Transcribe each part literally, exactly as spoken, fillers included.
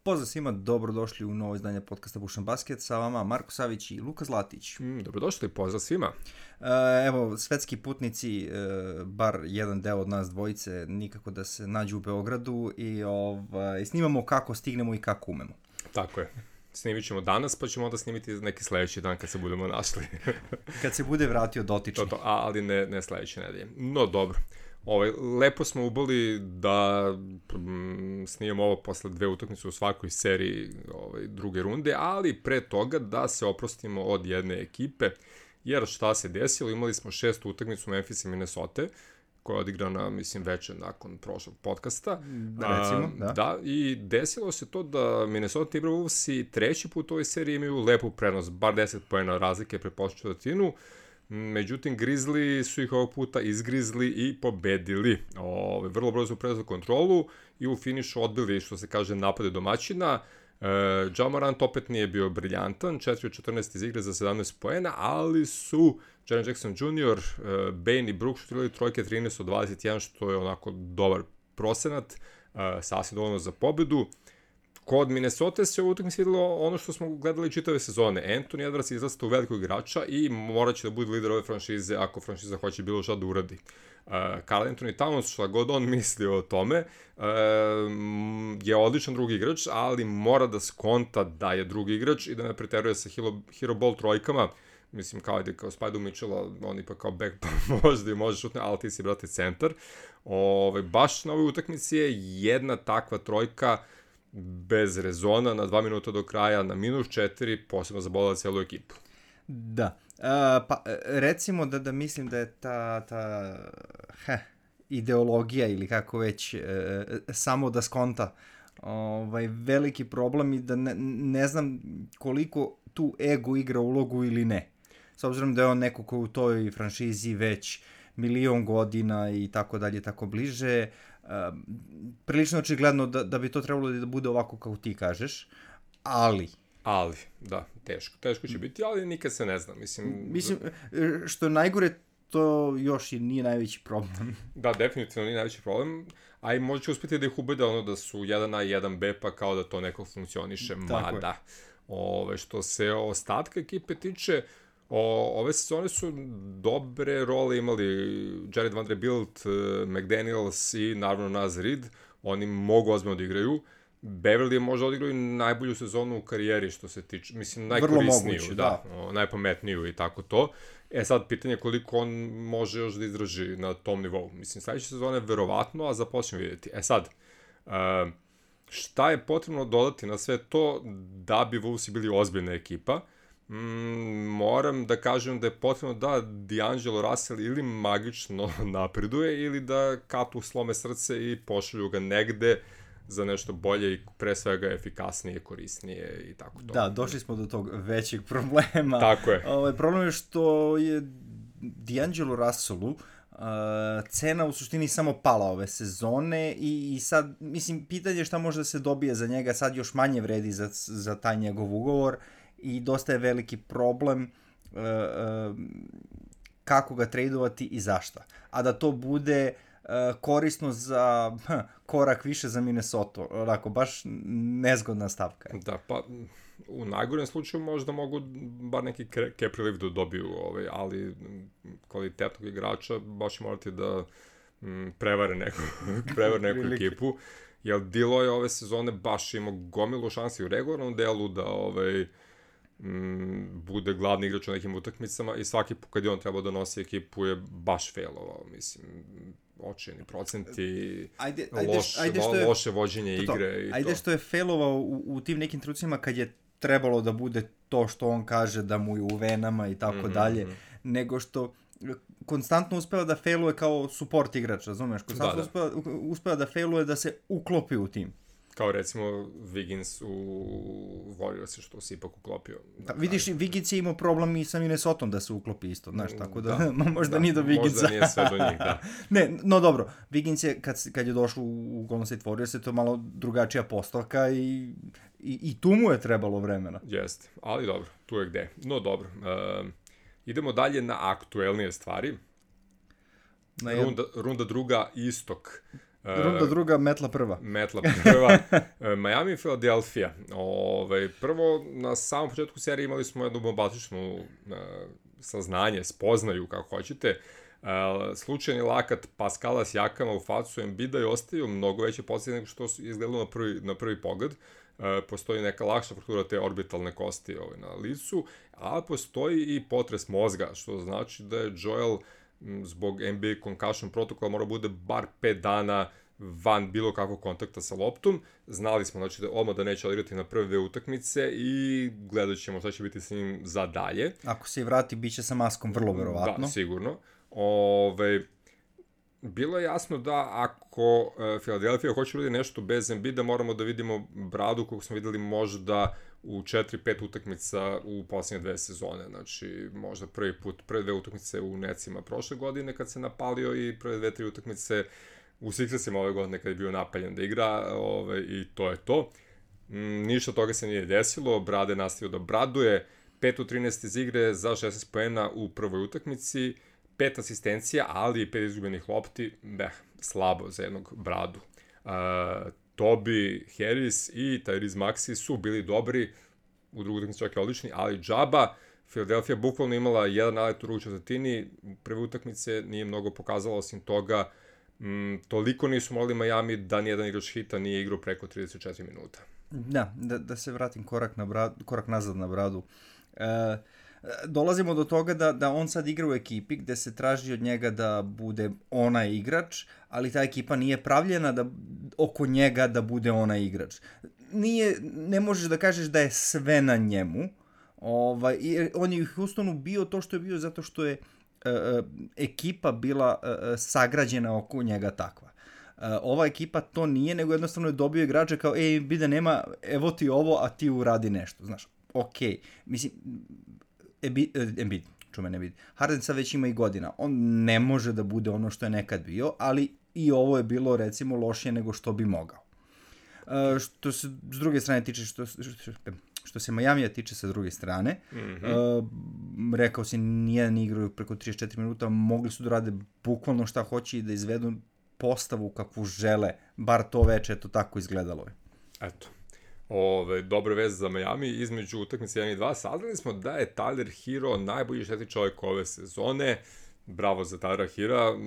Pozdrav svima, dobrodošli u novo izdanje podcasta Bušan Basket, sa vama Marko Savić i Luka Zlatić. Mm, dobrodošli, pozdrav svima. E, evo, svetski putnici, e, bar jedan deo od nas dvojice, nikako da se nađu u Beogradu i ovaj, snimamo kako stignemo i kako umemo. Tako je. Snimit ćemo danas, pa ćemo onda snimiti neki sledeći dan kad se budemo našli. Kad se bude vratio dotični. To, to, a, ali ne, ne sledeće nedelje. No, dobro. Ovaj, lepo smo ubili da mm, snimamo ovo posle dve utakmice u svakoj seriji ovaj, druge runde, ali pre toga da se oprostimo od jedne ekipe, jer šta se desilo, imali smo šestu utakmicu Memphis i Minnesota, koja je odigrana, mislim, večer nakon prošlog podcasta. Recimo, da. Da, i desilo se to da Minnesota Timberwolvesi treći put u ovoj seriji imaju lepu prednost, bar deset poena razlike pre početku četvrtinu. Međutim, Grizzly su ih ovog puta izgrizli i pobedili. Ove, vrlo brzo preuzeli kontrolu i u finišu odbili, što se kaže, napade domaćina. E, Ja Morant opet nije bio briljantan, četiri od četrnaest iz igre za sedamnaest poena, ali su Jaren Jackson junior, e, Bane i Brook šutirali trojke trinaest od dvadeset jedan, što je onako dobar procenat, e, sasvim dovoljno za pobedu. Kod Minnesota se u utakmici videlo ono što smo gledali čitave sezone. Anthony Edwards izrasta u velikog igrača i morat će da bude lider ove franšize ako franšiza hoće bilo šta da uradi. Uh, Karl Anthony Towns, šta god on misli o tome, uh, je odličan drugi igrač, ali mora da skonta da je drugi igrač i da ne preteruje sa hero, hero ball trojkama. Mislim, kao ide kao Spajdu Mitchella, on ipak kao back pa možda i može šutne, ali ti si, brate, centar. Ove, baš na ovoj utakmici je jedna takva trojka bez rezona na dva minuta do kraja, na minus četiri, posebno zabolila celu ekipu. Da. Uh, pa recimo da, da mislim da je ta, ta heh, ideologija ili kako već uh, samo da skonta ovaj, veliki problem i da ne, ne znam koliko tu ego igra ulogu ili ne. S obzirom da je on neko ko u toj franšizi već milion godina i tako dalje, tako bliže, uh, prilično očigledno da, da bi to trebalo da bude ovako kao ti kažeš, ali... Ali, da, teško. Teško će biti, ali nikad se ne zna. Mislim, Mislim što je najgore, to još i nije najveći problem. Da, definitivno nije najveći problem, a i možda će uspjeti da ih ubede ono da su jedan A i jedan B, pa kao da to neko funkcioniše, mada. Ove, što se ostatka ekipe tiče, O, ove sezone su dobre role imali Jared Vanderbilt, McDaniels i naravno Naz Reid. Oni mogu ozbiljno da igraju. Beverly je možda odigrao i najbolju sezonu u karijeri što se tiče, mislim, najkorisniju, moguće, da, da. O, najpametniju i tako to. E sad, pitanje je koliko on može još da izdrži na tom nivou. Mislim, sledeće sezone verovatno, a započnemo vidjeti. E sad, uh, šta je potrebno dodati na sve to da bi Wolvesi bili ozbiljna ekipa? Mm, moram da kažem da je potrebno da D'Angelo Russell ili magično napreduje ili da katu slome srce i pošalju ga negde za nešto bolje i pre svega efikasnije, korisnije i tako to. Da, došli smo do tog većeg problema. Tako je. Ovaj problem je što je D'Angelo Russellu uh, cena u suštini samo pala ove sezone i, i sad, mislim, pitanje je šta može da se dobije za njega, sad još manje vredi za, za taj njegov ugovor i dosta je veliki problem uh, uh, kako ga tradovati i zašta. A da to bude uh, korisno za uh, korak više za Minnesota. Onako, baš nezgodna stavka. Da, pa u najgorem slučaju možda mogu bar neki cap relief da dobiju, ovaj, ali kvalitetnog igrača baš morate da m, prevare neku, prevare neku ekipu. Jer Dilo je ove sezone baš imao gomilu šansi u regularnom delu da ovaj, m, bude glavni igrač u nekim utakmicama i svaki put kad je on trebao da nosi ekipu je baš failovao, mislim, očajni procenti, ajde, ajde, loš, ajde što je, loše vođenje to, igre i ajde to. što je failovao u, u tim nekim trucima kad je trebalo da bude to što on kaže da mu je u venama i tako mm-hmm. dalje, nego što konstantno uspeva da failuje kao support igrač, razumeš? Konstantno da, da. Uspeva, uspeva da failuje da se uklopi u tim. Kao recimo Wiggins u Warriors, što se ipak uklopio. Da, vidiš, Wiggins je imao problem i sa Minnesotom da se uklopi isto, znaš, tako da, da možda da, nije do Wigginsa. Možda nije sve do njih, da. Ne, no dobro, Wiggins je, kad, kad je došlo u Golden State Warriors, je to malo drugačija postavka i, i, i tu mu je trebalo vremena. Jeste, ali dobro, tu je gde. No dobro, uh, idemo dalje na aktuelnije stvari. Na jed... runda, runda druga, istok. Runda druga, metla prva. Metla prva. Miami i Philadelphia. Ove, prvo, na samom početku serije imali smo jednu bombastičnu uh, saznanje, spoznaju, kako hoćete. Uh, slučajni lakat Pascala Siakama u facu Embida je ostavio mnogo veće posljedice nego što su izgledalo na prvi, na prvi pogled. Uh, postoji neka lakša fraktura te orbitalne kosti ovaj, na licu, a postoji i potres mozga, što znači da je Joel zbog N B A concussion protokola mora bude bar pet dana van bilo kakvog kontakta sa loptom. Znali smo znači, da odmah da neće odigrati na prve dve utakmice i gledat ćemo šta će biti s njim za dalje. Ako se i vrati, bit će sa maskom vrlo verovatno. Da, sigurno. Ove, bilo je jasno da ako uh, Philadelphia hoće ljudi nešto bez Embida, moramo da vidimo bradu koju smo videli možda u četiri pet utakmica u posljednje dve sezone. Znači, možda prvi put, prve dve utakmice u Necima prošle godine kad se napalio i prve dve, tri utakmice u Sixersima ove godine kad je bio napaljen da igra ove, i to je to. Mm, ništa toga se nije desilo, Brade je nastavio da braduje, pet od trinaest iz igre za šesnaest poena u prvoj utakmici, pet asistencija, ali i pet izgubljenih lopti, beh, slabo za jednog Bradu. Uh, Toby Harris i Tyrese Maxey su bili dobri, u drugoj utakmici čak i odlični, ali džaba. Philadelphia bukvalno imala jedan nalet u drugu četvrtini, prve utakmice nije mnogo pokazala, osim toga, m, toliko nisu morali Miami da nijedan igrač hita nije igrao preko trideset četiri minuta. Da, da, da se vratim korak, na brad, korak nazad na Bradu. E, dolazimo do toga da, da on sad igra u ekipi gde se traži od njega da bude onaj igrač, ali ta ekipa nije pravljena da oko njega da bude onaj igrač. Nije, ne možeš da kažeš da je sve na njemu. Ovaj, on je u Houstonu bio to što je bio zato što je uh, ekipa bila uh, sagrađena oko njega takva. Uh, ova ekipa to nije, nego jednostavno je dobio igrače kao, ej, bide nema, evo ti ovo, a ti uradi nešto, znaš. Okej, okay. Mislim, Embiid, čume ne vidi. Harden sad već ima i godina. On ne može da bude ono što je nekad bio, ali i ovo je bilo, recimo, lošije nego što bi mogao. Uh, što se s druge strane tiče, što, što, što se Majamija tiče sa druge strane, mm-hmm. uh, rekao si, nijedan igraju preko trideset četiri minuta, mogli su da rade bukvalno šta hoće i da izvedu postavu kakvu žele, bar to veče, eto tako izgledalo je. Eto. Ove, dobre veze za Miami, između utakmice jedan i dva saznali smo da je Tyler Hero najbolji šesti čovjek ove sezone. Bravo za Tylera Hera,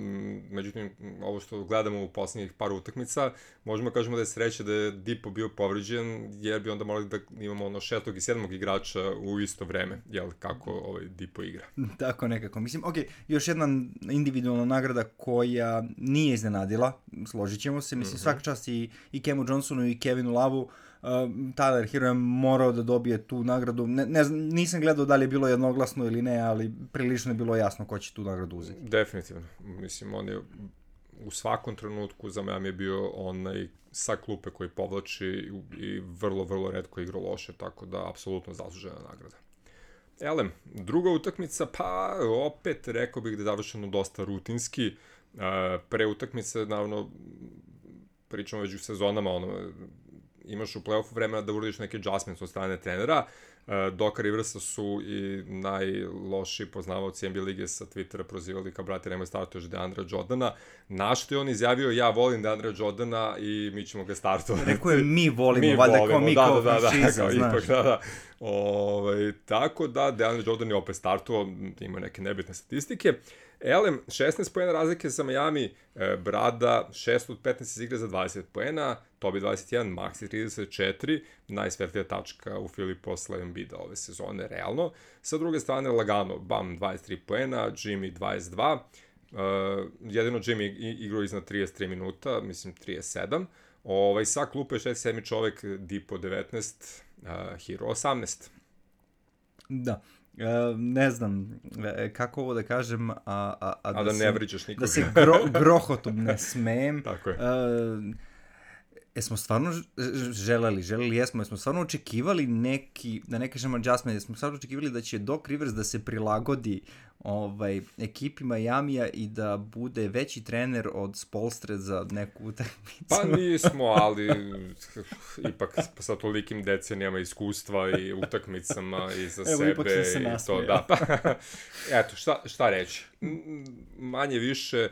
međutim, ovo što gledamo u posljednjih par utakmica, možemo kažemo da je sreća da je Dipo bio povređen, jer bi onda morali da imamo ono šestog i sedmog igrača u isto vreme, jel, kako ovaj Dipo igra. Tako nekako, mislim, ok, još jedna individualna nagrada koja nije iznenadila, složit ćemo se, mislim, mm-hmm. svaka čast i, i Kemu Johnsonu i Kevinu Lovu. Uh, Tyler Hero je morao da dobije tu nagradu. Ne, ne, nisam gledao da li je bilo jednoglasno ili ne, ali prilično je bilo jasno ko će tu nagradu uzeti. Definitivno. Mislim, on je u svakom trenutku za Miami je bio onaj sa klupe koji povlači i vrlo, vrlo retko igrao loše, tako da apsolutno zaslužena nagrada. Elem, druga utakmica, pa opet rekao bih da je završeno dosta rutinski. Uh, pre utakmice, naravno, pričamo već u sezonama, ono, imaš u play-offu vremena da uradiš neke adjustments od strane trenera. Doka Riversa su i najlošiji poznavaoci N B A lige sa Twittera prozivali kao, brate, nemoj startuješ DeAndre Jordana. Na što je on izjavio, ja volim DeAndre Jordana i mi ćemo ga startovati. Rekao je, mi volimo, mi valjda volimo, kao mi da, kao da, franšiza, da, znaš. Ipak, da, da. Ove, tako da, DeAndre Jordan je opet startovao, ima neke nebitne statistike. Elem, šesnaest poena razlike za Miami, e, Brada šest od petnaest iz igre za dvadeset poena, Toby dvadeset jedan, Maxey trideset četiri, najsvetlija tačka u Fili posle Embida ove sezone, realno. Sa druge strane, lagano, Bam dvadeset tri poena, Jimmy dvadeset dva, e, jedino Jimmy igrao iznad trideset tri minuta, mislim trideset sedam, ovaj, sa klupe šest sedmi čovek, Dipo devetnaest, uh, Hero osamnaest. Da. Uh, ne znam kako ovo da kažem, a, a, a, a da, da se, ne vriđaš nikoga. Da se gro, grohotom ne smejem. Tako je. Uh, jesmo stvarno želeli, želeli jesmo, jesmo stvarno očekivali neki, da ne kažem adjustment, jesmo stvarno očekivali da će Doc Rivers da se prilagodi ovaj, ekipi Majamija i da bude veći trener od Spoelstre za neku utakmicu. Pa nismo, ali ipak sa tolikim decenijama iskustva i utakmicama i za Evo, sebe. Evo, ipak se i to, da. Eto, šta, šta reći? Manje više,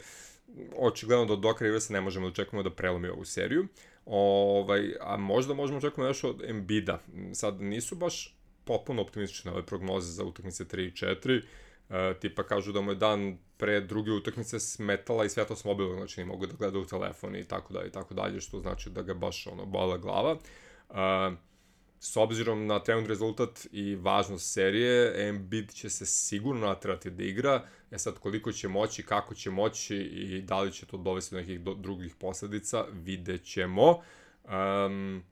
očigledno do Doka Riversa ne možemo da očekujemo da prelomi ovu seriju. Ovaj, a možda možemo očekujemo još od Embida. Sad nisu baš potpuno optimistične ove prognoze za utakmice tri i četiri. E, tipa kažu da mu je dan pre druge utakmice smetala i svetlost mobilnog, znači ne mogu da gleda u telefon i tako dalje i tako dalje, što znači da ga baš ono bola glava. E, s obzirom na trenutni rezultat i važnost serije, Embiid će se sigurno naterati da igra. E sad, koliko će moći, kako će moći i da li će to dovesti do nekih do, drugih posledica, vidjet ćemo. Um,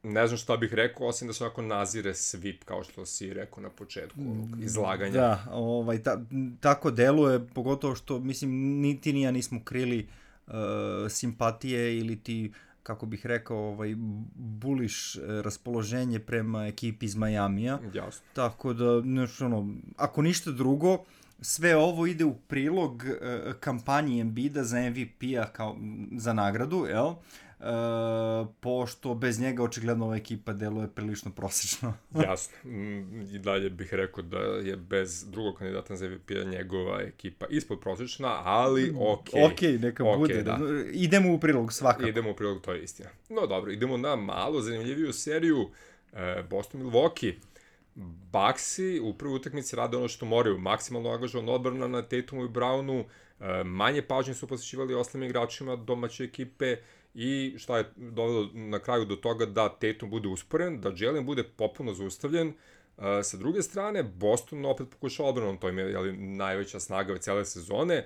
ne znam šta bih rekao, osim da se onako nazire svip, kao što si rekao na početku ovog izlaganja. Da, ovaj, ta, tako deluje, pogotovo što, mislim, niti ni ja nismo krili uh, simpatije ili ti, kako bih rekao, ovaj, buliš raspoloženje prema ekipi iz Majamija. Jasno. Tako da, nešto ono, ako ništa drugo, sve ovo ide u prilog uh, kampanji Embida za M V P-a kao za nagradu, jel? Uh, pošto bez njega očigledno ova ekipa deluje prilično prosečno. Jasno. I dalje bih rekao da je bez drugog kandidata za M V P-a njegova ekipa ispod prosečna, ali okej. Okej, okay, neka okay, bude. Da. Idemo u prilog svakako. Idemo u prilog, to je istina. No dobro, idemo na malo zanimljiviju seriju Boston-Milwaukee. Bucksi u prvoj utakmici rade ono što moraju, maksimalno angažovan odbrana na Tatumu i Brownu, manje pažnje su posvećivali ostalim igračima domaće ekipe i šta je dovelo na kraju do toga da Tatum bude usporen, da Jalen bude popuno zaustavljen. Sa druge strane, Boston opet pokušao odbranom, to im je jeli, najveća snaga cele sezone.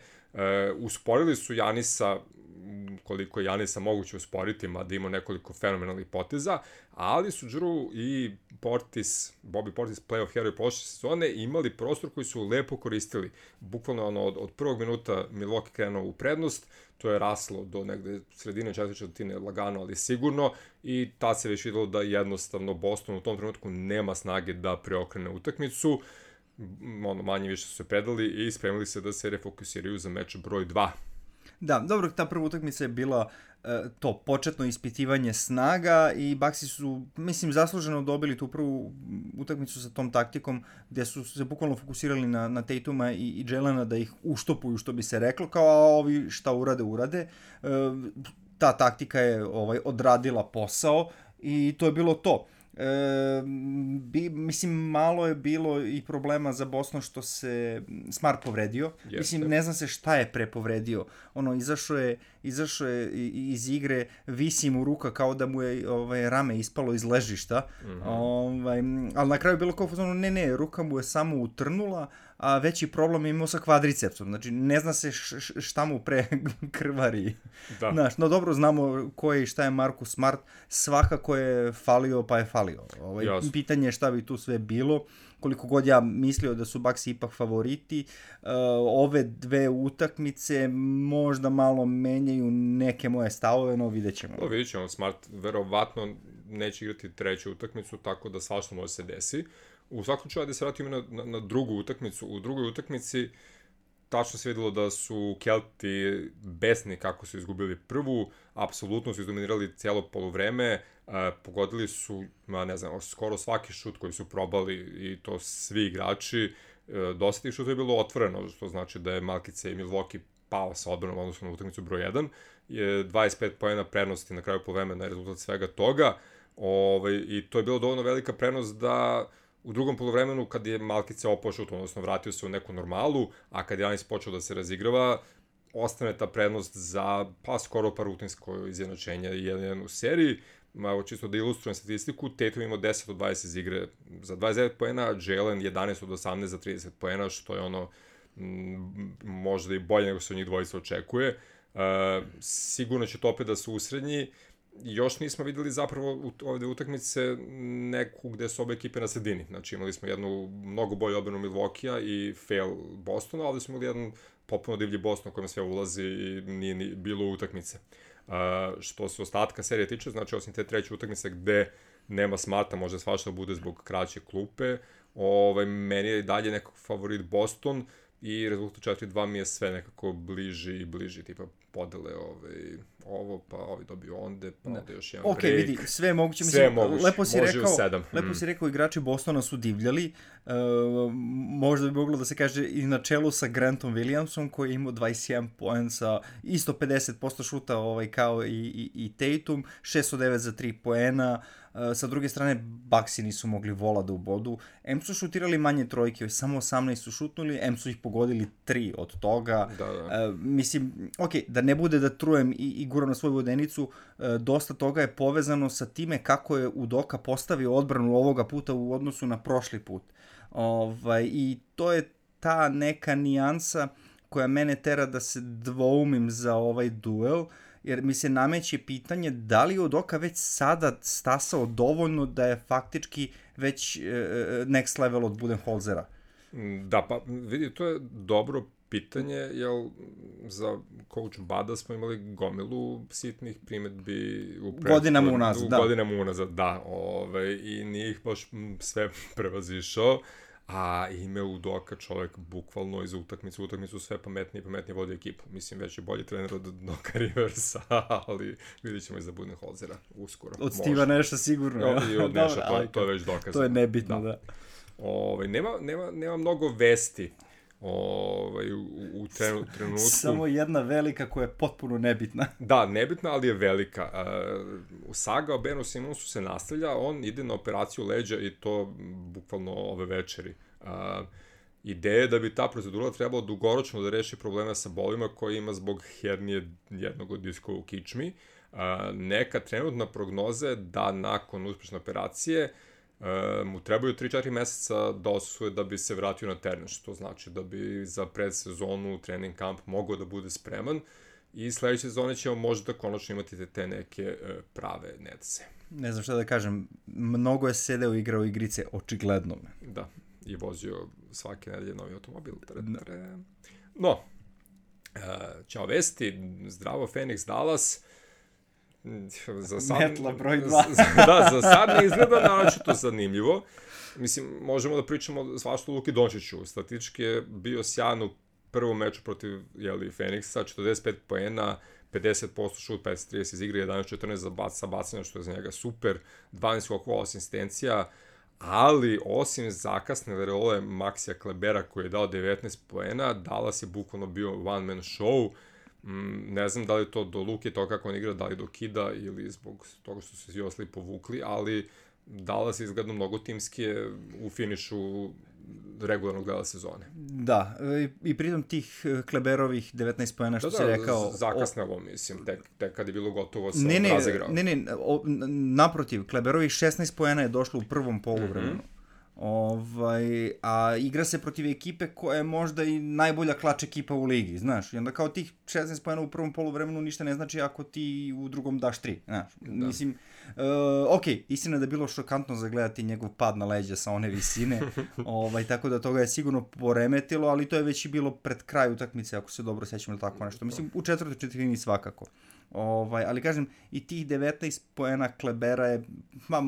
Usporili su Janisa, koliko je Janisa moguće usporiti, mada ima nekoliko fenomenalnih poteza, ali su Drew i Portis, Bobby Portis, playoff hero prošle sezone, imali prostor koji su lepo koristili. Bukvalno ono, od, od prvog minuta Milwaukee krenuo u prednost, to je raslo do negde sredine četvrte četvrtine lagano, ali sigurno, i tad se već videlo da jednostavno Boston u tom trenutku nema snage da preokrene utakmicu. Ono, manje više su se predali i spremili se da se refokusiraju za meč broj dva. Da, dobro, ta prva utakmica je bila uh, to početno ispitivanje snaga i Bucksi su, mislim, zasluženo dobili tu prvu utakmicu sa tom taktikom gdje su se bukvalno fokusirali na, na Tatuma i, i Jelena da ih uštopuju, što bi se reklo, kao a ovi šta urade, urade. Uh, ta taktika je ovaj odradila posao i to je bilo to. E, bi, mislim, malo je bilo i problema za Boston što se Smart povredio. Jeste. Mislim, ne znam se šta je prepovredio. Ono, izašao je, izašao je iz igre, visi mu ruka kao da mu je ovaj, rame ispalo iz ležišta. Mm-hmm. Ovaj, ali na kraju je bilo kao, ne, ne, ruka mu je samo utrnula, a veći problem je imao sa kvadricepsom. Znači, ne zna se š, šta mu pre krvari. Da. Znaš, no dobro, znamo ko je i šta je Marcus Smart. Svakako je falio, pa je falio. Ovaj, pitanje je šta bi tu sve bilo. Koliko god ja mislio da su Bucksi ipak favoriti, uh, ove dve utakmice možda malo menjaju neke moje stavove, no vidjet ćemo. No, vidjet ćemo. Smart verovatno neće igrati treću utakmicu, tako da svašta može se desi. U svakom čaju da se vratimo na, na, na drugu utakmicu. U drugoj utakmici tačno se videlo da su Kelti besni kako su izgubili prvu, apsolutno su izdominirali cijelo poluvreme, uh, pogodili su, ma ne znam, skoro svaki šut koji su probali i to svi igrači, uh, dosta tih šuta je bilo otvoreno, što znači da je Malkice i Milwaukee pao sa odbranom odnosno na utakmicu broj jedan, je dvadeset pet poena prednosti na kraju poluvremena na rezultat svega toga, ovaj, i to je bilo dovoljno velika prednost da u drugom poluvremenu, kad je Malkice opao šut, odnosno vratio se u neku normalu, a kad je Janis počeo da se razigrava, ostane ta prednost za pa skoro pa rutinsko izjednačenje jedan u seriji. Evo, čisto da ilustrujem statistiku, Tatum imao deset od dvadeset iz igre za dvadeset devet poena, Jalen jedanaest od osamnaest za trideset poena, što je ono m, možda i bolje nego se od njih dvojica očekuje. Uh, sigurno će to opet da se usrednji. Još nismo videli zapravo u ovde utakmice neku gde su obe ekipe na sredini. Znači imali smo jednu mnogo bolju odbranu Milwaukee-a i fail Bostona, ali smo imali jedan popuno divlji Boston u kojem sve ulazi i nije ni bilo utakmice. Uh, što se ostatka serije tiče, znači osim te treće utakmice gde nema Smarta, može svašta bude zbog kraće klupe, ovaj, meni je dalje nekako favorit Boston i rezultat četiri dva mi je sve nekako bliži i bliži, tipa podele ovaj, ovo, pa ovi dobio onde, pa onda još jedan okay, break. Ok, vidi, sve je moguće. Sve je mislim, moguće, lepo si može rekao, u sedam. Lepo mm. si rekao, igrači Bostona su divljali. Uh, možda bi moglo da se kaže i na čelu sa Grantom Williamsom, koji je imao dvadeset jedan poen sa isto pedeset posto šuta ovaj, kao i, i, i Tatum, šest devet za tri poena. Uh, sa druge strane, Bucksi nisu mogli vola da ubodu. Em su šutirali manje trojke, samo osamnaest su šutnuli, em su ih pogodili tri od toga. Da, da. Uh, mislim, ok, da ne bude da trujem i, i guram na svoju vodenicu, uh, dosta toga je povezano sa time kako je Udoka postavio odbranu ovoga puta u odnosu na prošli put. Ovaj, i to je ta neka nijansa koja mene tera da se dvoumim za ovaj duel, jer mi se nameće pitanje da li je Udoka već sada stasao dovoljno da je faktički već uh, next level od Budenholzera. Da, pa vidi, to je dobro pitanje, jer za coach Bada smo imali gomilu sitnih primjedbi u prethodnu, godinama unazad, da. Godinama unazad, da, ovaj, i nije ih baš sve prevazišao, a ime Udoka čovjek bukvalno iz utakmice, utakmicu sve pametnije i pametnije vodi ekipu. Mislim, već je bolji trener od Doka Riversa, ali vidjet ćemo i za Budenholzera uskoro. Od Steva Nasha sigurno. Ja, i od Nasha, to, to je već dokazano. To je nebitno, da. da. Ovaj, nema, nema, nema mnogo vesti ovaj, u, u trenu, trenutku. Samo jedna velika koja je potpuno nebitna. Da, nebitna, ali je velika. Uh, saga o Benu Simonsu se nastavlja, on ide na operaciju leđa i to bukvalno ove večeri. Uh, ideja je da bi ta procedura trebala dugoročno da reši probleme sa bolima koje ima zbog hernije jednog od diskova u kičmi. Uh, neka trenutna prognoza je da nakon uspešne operacije Uh, mu trebaju tri četiri meseca da osvoje da bi se vratio na teren, što znači da bi za predsezonu trening kamp mogao da bude spreman i sledeće sezone ćemo možda konačno imati te, te neke uh, prave netce. Ne znam šta da kažem, mnogo je sedeo i igrao igrice, očigledno me. Da, i vozio svake nedelje novi automobil. Tare. No, uh, ćao vesti, zdravo Phoenix Dallas. Za sad, Metla broj dva. Da, za sad ne izgleda naročito zanimljivo. Mislim, možemo da pričamo svašta o Luki Dončiću. Statistički je bio sjajan u prvom meču protiv jeli, Phoenixa, četrdeset pet poena, pedeset posto šut, pedeset trideset iz igre, jedanaest četrnaest za bac, sa bacanja, što je za njega super, dvanaest skokova, osam asistencija, ali osim zakasne role Maxija Klebera koji je dao devetnaest poena, Dallas je bukvalno bio one man show. Ne znam da li to do Luke, to kako on igra, da li do Kida ili zbog toga što su svi ostali povukli, ali Dallas je izgledno mnogo timskije u finišu regularnog dela sezone. Da, i, i pritom tih Kleberovih devetnaest poena što da, si da, rekao... zakasnelo, o... mislim, tek, tek kad je bilo gotovo sa ne, ne, razigrao. Ne, ne, o, naprotiv, Kleberovih šesnaest poena je došlo u prvom poluvremenu. Mm-hmm. Ovaj, a igra se protiv ekipe koja je možda i najbolja klač ekipa u ligi, znaš, i onda kao tih šesnaest poena u prvom poluvremenu ništa ne znači ako ti u drugom daš tri, znaš, da. Mislim, uh, ok, istina da je bilo šokantno zagledati njegov pad na leđa sa one visine, ovaj, tako da toga je sigurno poremetilo, ali to je već i bilo pred kraj utakmice, ako se dobro sećam ili tako nešto, mislim, u četvrtoj četvrtini svakako, ovaj, ali kažem, i tih devetnaest poena Klebera je, ma,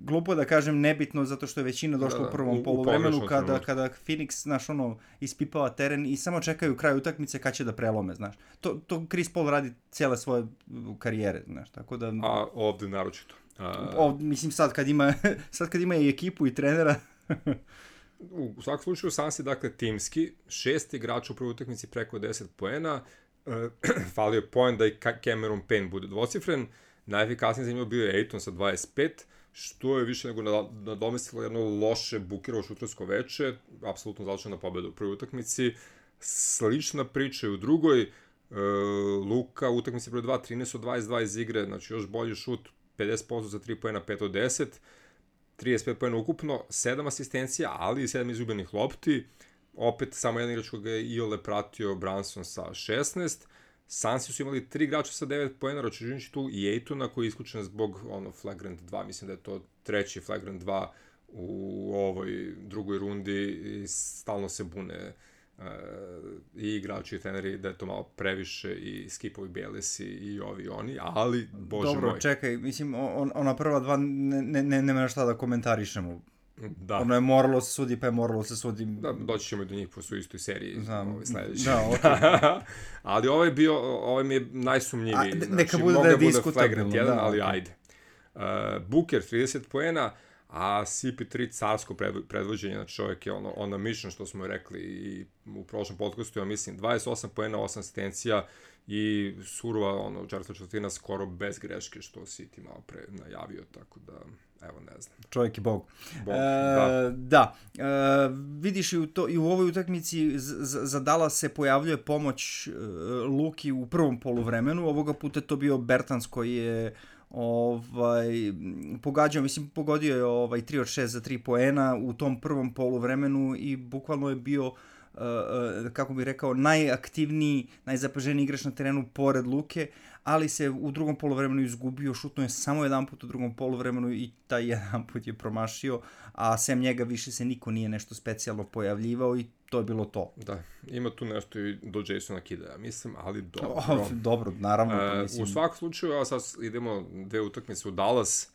glupo da kažem nebitno zato što je većina došla da, da, u prvom poluvremenu kada, kada Phoenix, znaš, ono, ispipava teren i samo čekaju kraj utakmice kad će da prelome, znaš. To, to Chris Paul radi cijele svoje karijere, znaš, tako da... A ovde naročito. A... Ovde, mislim, sad kad ima, sad kad ima i ekipu i trenera... u, u svakom slučaju, Sansi, dakle, timski, šest igrača u prvoj utakmici preko deset poena, uh, falio je poen da i Cameron Payne bude dvocifren, najefikasniji za njima bio je Ayton sa dvadeset pet, što je više nego nadomestilo jedno loše bukirovo šutersko veče, apsolutno završena pobeda u prvoj utakmici. Slična priča je u drugoj, e, Luka utakmici broj dva, trinaest od dvadeset dva iz igre, znači još bolji šut, pedeset posto za tri poena, pet od deset, trideset pet poena ukupno, sedam asistencija, ali i sedam izgubljenih lopti, opet samo jedan igrač koga je Iole pratio, Branson sa šesnaest, Sansi su imali tri igrača sa devet poena, računajući tu i Aytona koji je isključen zbog ono, flagrant dva, mislim da je to treći flagrant dva u ovoj drugoj rundi i stalno se bune e, i igrači i treneri da je to malo previše i Skipovi Bielesi i ovi oni, ali bože Dobro, moj. čekaj, mislim, on, ona prva dva ne, ne, ne, nema šta da komentarišemo. Da. Ono je moralo se sudi, pa je moralo se sudi. Da, doći ćemo i do njih po su istoj seriji. Znam. Ovaj sledeći. Da, okay. Ali ovaj je bio, ovaj mi je najsumnjiviji. A, znači, neka bude da je bude diskutabilno. flagrant jedan, Da, ali okay. ajde. Uh, Booker trideset poena, a C P tri carsko predvođenje, znači čovjek je ono, on na mission, što smo rekli i u prošlom podcastu, ja mislim, dvadeset osam poena, osam asistencija i surova, ono, četvrta četvrtina skoro bez greške, što si ti malo pre najavio, tako da, evo, ne znam. Čovjek je bog. Bog, e, da. Da, e, vidiš i u, to, i u ovoj utakmici za, za Dallas se pojavljuje pomoć e, Luki u prvom poluvremenu, ovoga puta to bio Bertans koji je ovaj pogađao, mislim pogodio je ovaj tri od šest za tri poena u tom prvom poluvremenu i bukvalno je bio uh, uh, kako bih rekao najaktivniji, najzapaženiji igrač na terenu pored Luke, ali se u drugom poluvremenu izgubio, šutnuo je samo jedan put u drugom poluvremenu i taj jedan put je promašio, a sem njega više se niko nije nešto specijalno pojavljivao i to je bilo to. Da, ima tu nešto i do Jasona Kidda, mislim, ali dobro. O, dobro, naravno. E, mislim. U svakom slučaju, a sad idemo dve utakmice u Dallas,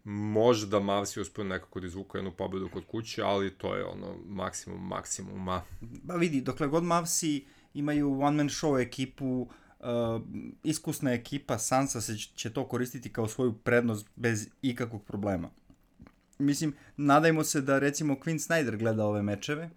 možda Mavsi uspio nekako da izvuka jednu pobedu kod kuće, ali to je ono maksimum maksimuma. Ba vidi, dokle god Mavsi imaju one man show ekipu, uh, iskusna ekipa, Sansa se će to koristiti kao svoju prednost bez ikakvog problema. Mislim, nadajmo se da recimo Quinn Snyder gleda ove mečeve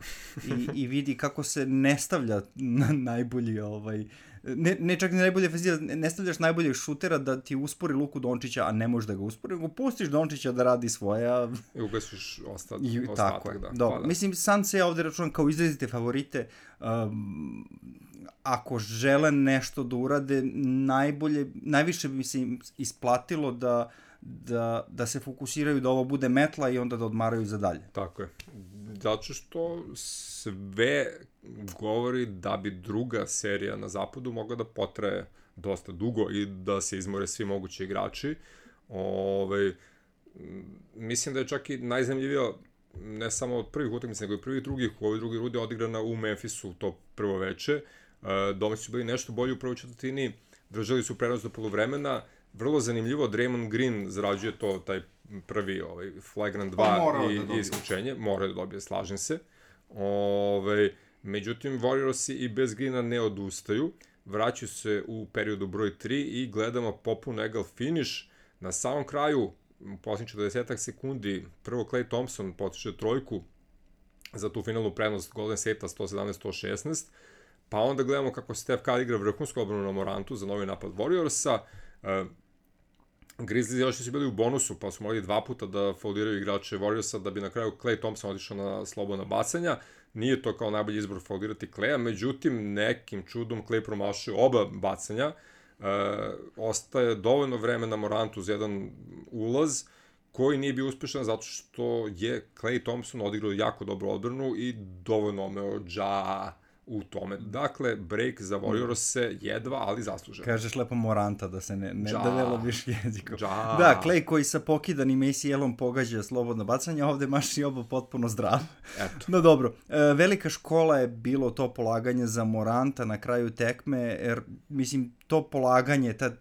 i, i vidi kako se ne stavlja na najbolji, ovaj, ne, ne čak ni najbolje ofenziva, ne stavljaš najboljeg šutera da ti uspori Luku Dončića, a ne možeš da ga uspori, nego pustiš Dončića da radi svoja... I ugasiš ostat, I, ostatak, tako, da. da. Pa, da. Mislim, sam se ja ovde računam kao izrazite favorite. Um, ako žele nešto da urade, najbolje, najviše bi se im isplatilo da Da, da se fokusiraju da ovo bude metla i onda da odmaraju za dalje. Tako je. Zato što sve govori da bi druga serija na zapadu mogla da potraje dosta dugo i da se izmore svi mogući igrači. Ove, mislim da je čak i najzanimljivija ne samo od prvih utakmica, nego i prvih drugih. U ovoj drugi runde odigrana u Memphisu to prvo veče. Domaći su bili nešto bolji u prvoj četvrtini, držali su prenos do poluvremena. Vrlo zanimljivo, Draymond Green zarađuje to, taj prvi ovaj, flagrant dva i, da i isključenje. Mora da dobije, slažem se. Ove, međutim, Warriorsi i bez Greena ne odustaju. Vraćaju se u periodu broj tri i gledamo popun egal finish. Na samom kraju, u posljednjih četrdeset sekundi, prvo Klay Thompson potiče trojku za tu finalnu prednost Golden State-a sto sedamnaest sto šesnaest. Pa onda gledamo kako Steph Curry igra vrhunsku odbranu na Morantu za novi napad Warriorsa. Uh, Grizzlies još su bili u bonusu, pa su morali dva puta da fauliraju igrače Warriorsa da bi na kraju Klay Thompson otišao na slobodna bacanja. Nije to kao najbolji izbor faulirati Klaya, međutim nekim čudom Klay promašio oba bacanja. Uh, ostaje dovoljno vremena Morantu za jedan ulaz koji nije bio uspešan zato što je Klay Thompson odigrao jako dobru odbranu i dovoljno omeo Ja u tome. Dakle, break za Warriors jedva, ali zasluženo. Kažeš lepo Moranta da se ne, ne Ja. da ne lobiš jezikom. Ja. Da, Klay koji sa pokidanim A C L-om pogađa slobodno bacanje, a ovde maš i oba potpuno zdrav. Eto. No dobro, e, velika škola je bilo to polaganje za Moranta na kraju tekme, jer mislim to polaganje, ta,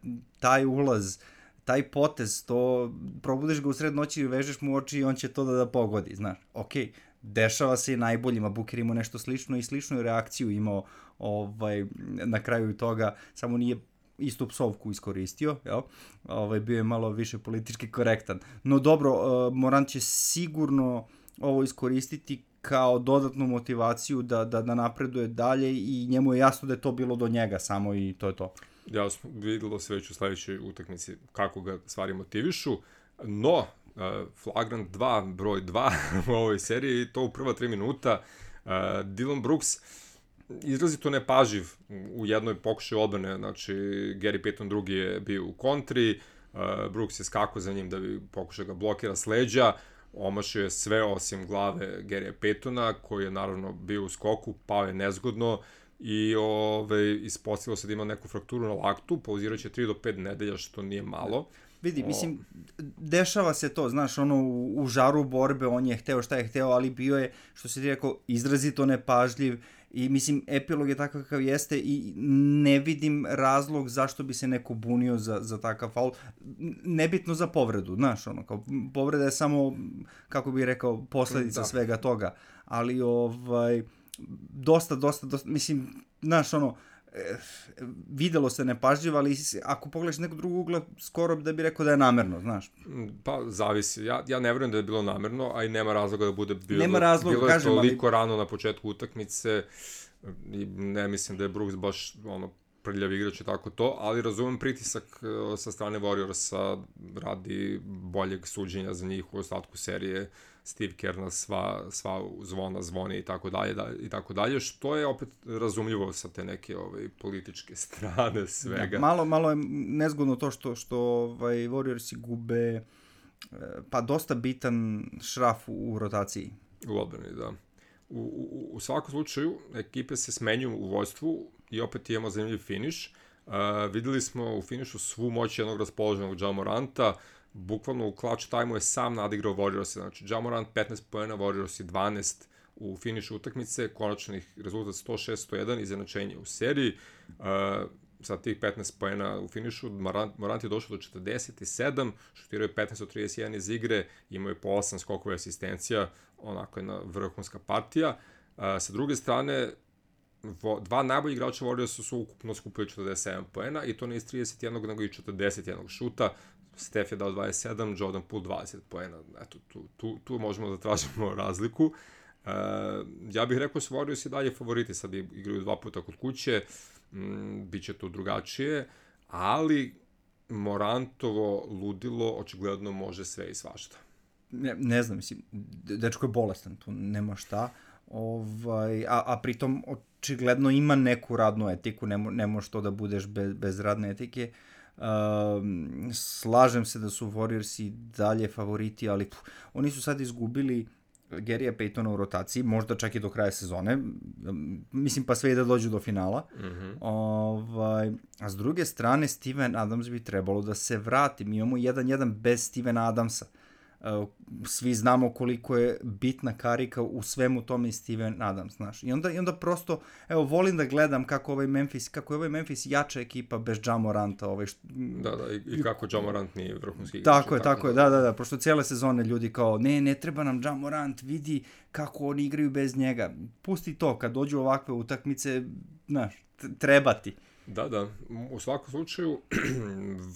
taj ulaz, taj potez, to probudiš ga u sred noći i vežeš mu oči i on će to da, da pogodi, znaš. Okej. Okay. Dešava se i najboljima, Booker imao nešto slično i sličnu reakciju imao ovaj, na kraju toga, samo nije istu psovku iskoristio, jel? Ovaj, bio je malo više politički korektan. No dobro, uh, Morant će sigurno ovo iskoristiti kao dodatnu motivaciju da, da, da napreduje dalje i njemu je jasno da je to bilo do njega samo i to je to. Jasno, videlo se već u sledećoj utakmici kako ga stvari motivišu, no Uh, flagrant dva, broj dva u ovoj seriji i to u prva tri minuta. Uh, Dillon Brooks izrazito nepaživ u jednoj pokušaju odbrane, znači Gary Payton drugi je bio u kontri, uh, Brooks je skakao za njim da bi pokušao ga blokira s leđa, omašio je sve osim glave Gary'a Paytona koji je naravno bio u skoku, pao je nezgodno i ove, ispostavilo se da ima neku frakturu na laktu, pauzirat će tri do pet nedelja što nije malo. Vidi, mislim, dešava se to, znaš, ono, u, u žaru borbe, on je hteo šta je hteo, ali bio je, što si ti rekao, izrazito nepažljiv I mislim, epilog je takav kakav jeste i ne vidim razlog zašto bi se neko bunio za, za takav faul. Nebitno za povredu, znaš, ono, kao povreda je samo, kako bih rekao, posledica da. svega toga. Ali, ovaj, dosta, dosta, dosta, mislim, znaš, ono, videlo se nepažljivo, ali ako pogledaš nekog drugog ugla, skoro da bi rekao da je namerno, znaš. Pa, zavisi. Ja, ja ne verujem da je bilo namerno, a i nema razloga da bude bilo. Nema razloga, bilo je kažem, toliko ali... rano na početku utakmice i ne mislim da je Brooks baš ono, prljav igrač i tako to, ali razumem pritisak sa strane Warriorsa radi boljeg suđenja za njih u ostatku serije. Steve Kerr na sva, sva zvona zvoni i tako dalje i tako dalje, što je opet razumljivo sa te neke ovaj, političke strane svega. Ja, malo, malo je nezgodno to što, što ovaj, Warriorsi gube pa dosta bitan šraf u, u rotaciji. U odbrani, da. U, u, u svakom slučaju, ekipe se smenjuju u vojstvu i opet imamo zanimljiv finiš. Uh, videli smo u finišu svu moć jednog raspoloženog Ja Moranta, bukvalno u clutch time-u je sam nadigrao Warriors, znači Ja Morant petnaest poena, Warriors dvanaest u finišu utakmice, konačnih rezultat sto šest sto jedan, izjednačenje u seriji. Uh, sa tih petnaest poena u finišu, Morant, Morant je došao do četrdeset sedam, šutirao je petnaest od trideset jedan iz igre, imao je po osam skokova asistencija, onako jedna vrhunska partija. Uh, sa druge strane, vo, dva najbolji igrača Warriorsa su ukupno skupili četrdeset sedam poena i to ne iz trideset jedan nego i četrdeset jedan šuta. Steph je dao dvadeset sedam, Jordan Poole dvadeset poena. Eto, tu, tu, tu možemo da tražimo razliku. Uh, ja bih rekao su Warriors i dalje favoriti, sad igraju dva puta kod kuće, mm, bit će to drugačije, ali Morantovo ludilo očigledno može sve i svašta. Ne, ne znam, mislim, dečko je bolestan, tu nema šta, ovaj, a, a pritom očigledno ima neku radnu etiku, ne, mo, ne može to da budeš bez, bez radne etike. Um, slažem se da su Warriorsi dalje favoriti, ali pff, oni su sad izgubili Gary'a Paytona u rotaciji, možda čak i do kraja sezone, mislim pa sve i da dođu do finala. Mm-hmm. Ovaj, a s druge strane Steven Adams bi trebalo da se vrati, mi imamo jedan jedan bez Stevena Adamsa. Svi znamo koliko je bitna karika u svemu tome i Steven Adams, znaš. I onda, i onda prosto, evo, volim da gledam kako ovaj Memphis, kako je ovaj Memphis jača ekipa bez Ja Moranta. Ovaj što... Da, da, i, i kako Ja Morant nije vrhunski igrač. Tako je, tako je, da, da, da, prosto cijele sezone ljudi kao, ne, ne treba nam Ja Morant, vidi kako oni igraju bez njega. Pusti to, kad dođu ovakve utakmice, znaš, treba ti. Da, da, u svakom slučaju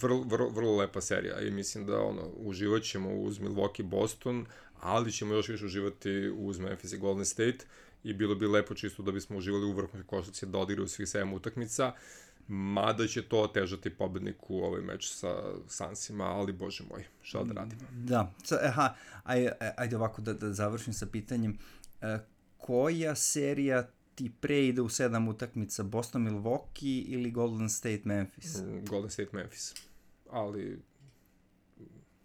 vrlo, vrlo, vrlo lepa serija i mislim da ono, uživat ćemo uz Milwaukee Boston, ali ćemo još više uživati uz Memphis i Golden State i bilo bi lepo čisto da bismo uživali u vrhunskoj košarci da odigraju svih sedam utakmica, mada će to otežati pobedniku ovaj meč sa Sunsima, ali bože moj, šta da radim. Da, aha, ajde, ajde ovako da, da završim sa pitanjem, e, koja serija ti pre ide u sedam utakmica, Boston Milwaukee ili Golden State Memphis? Golden State Memphis, ali...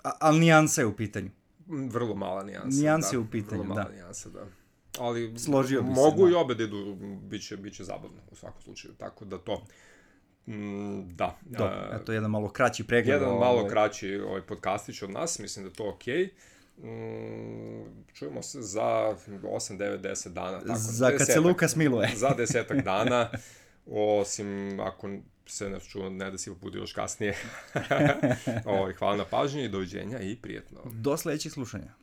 A, ali nijansa je u pitanju. Vrlo mala nijansa, nijansa da. je u pitanju, vrlo mala da. nijansa, da. Ali složio bi mogu se, i obe da idu, bit će, bit će zabavno u svakom slučaju, tako da to... Mm, da. Dobro, eto jedan malo kraći pregled. Jedan ovaj... malo kraći ovaj podcastić od nas, mislim da je to okej. Okay. Mm, čujemo se za osam, devet, deset dana. Tako, za desetak, kad se Lukas miluje. Za desetak dana, osim ako se ne čuo, ne da si bude još kasnije. Ovo, hvala na pažnji, doviđenja i prijetno. Do sledećih slušanja.